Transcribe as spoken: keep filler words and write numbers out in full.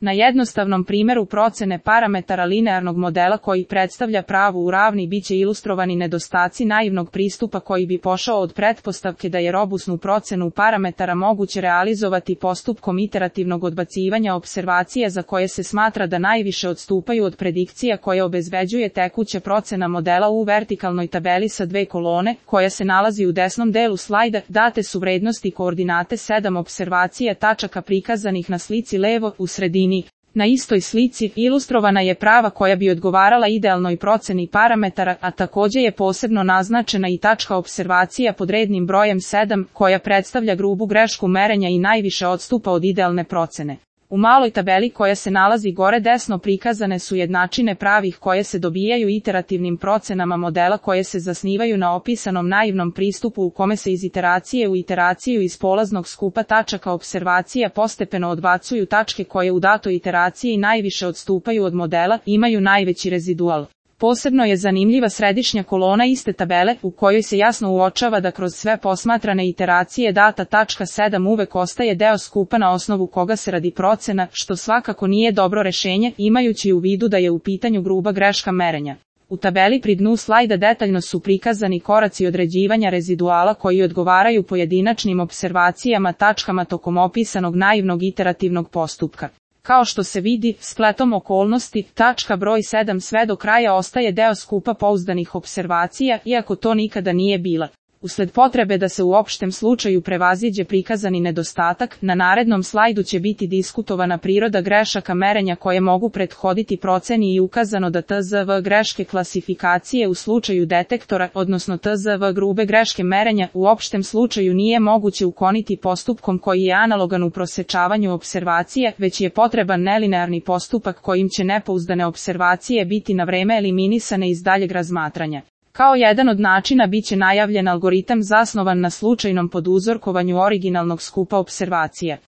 Na jednostavnom primjeru procene parametara linearnog modela koji predstavlja pravu u ravni biće ilustrovani nedostaci naivnog pristupa koji bi pošao od pretpostavke da je robusnu procenu parametara moguće realizovati postupkom iterativnog odbacivanja observacija za koje se smatra da najviše odstupaju od predikcija koje obezbeđuje tekuća procena modela. U vertikalnoj tabeli sa dve kolone, koja se nalazi u desnom delu slajda, date su vrednosti koordinate sedam observacija tačaka prikazanih na slici levo u sredini. Na istoj slici ilustrovana je prava koja bi odgovarala idealnoj proceni parametara, a također je posebno naznačena i tačka observacija pod rednim brojem sedam, koja predstavlja grubu grešku merenja i najviše odstupa od idealne procene. U maloj tabeli koja se nalazi gore desno prikazane su jednačine pravih koje se dobijaju iterativnim procenama modela koje se zasnivaju na opisanom naivnom pristupu u kome se iz iteracije u iteraciju iz polaznog skupa tačaka observacija postepeno odbacuju tačke koje u datoj iteraciji najviše odstupaju od modela, imaju najveći rezidual. Posebno je zanimljiva središnja kolona iste tabele, u kojoj se jasno uočava da kroz sve posmatrane iteracije data tačka sedam uvek ostaje deo skupa na osnovu koga se radi procena, što svakako nije dobro rešenje, imajući u vidu da je u pitanju gruba greška merenja. U tabeli pri dnu slajda detaljno su prikazani koraci određivanja reziduala koji odgovaraju pojedinačnim observacijama tačkama tokom opisanog naivnog iterativnog postupka. Kao što se vidi, spletom okolnosti, tačka broj sedam sve do kraja ostaje deo skupa pouzdanih observacija, iako to nikada nije bila. Usled potrebe da se u opštem slučaju prevaziđe prikazani nedostatak, na narednom slajdu će biti diskutovana priroda grešaka merenja koje mogu prethoditi proceni i ukazano da T Z V greške klasifikacije u slučaju detektora, odnosno T Z V grube greške merenja, u opštem slučaju nije moguće ukloniti postupkom koji je analogan u prosečavanju observacije, već je potreban nelinearni postupak kojim će nepouzdane observacije biti na vreme eliminisane iz daljeg razmatranja. Kao jedan od načina biće najavljen algoritam zasnovan na slučajnom poduzorkovanju originalnog skupa observacija.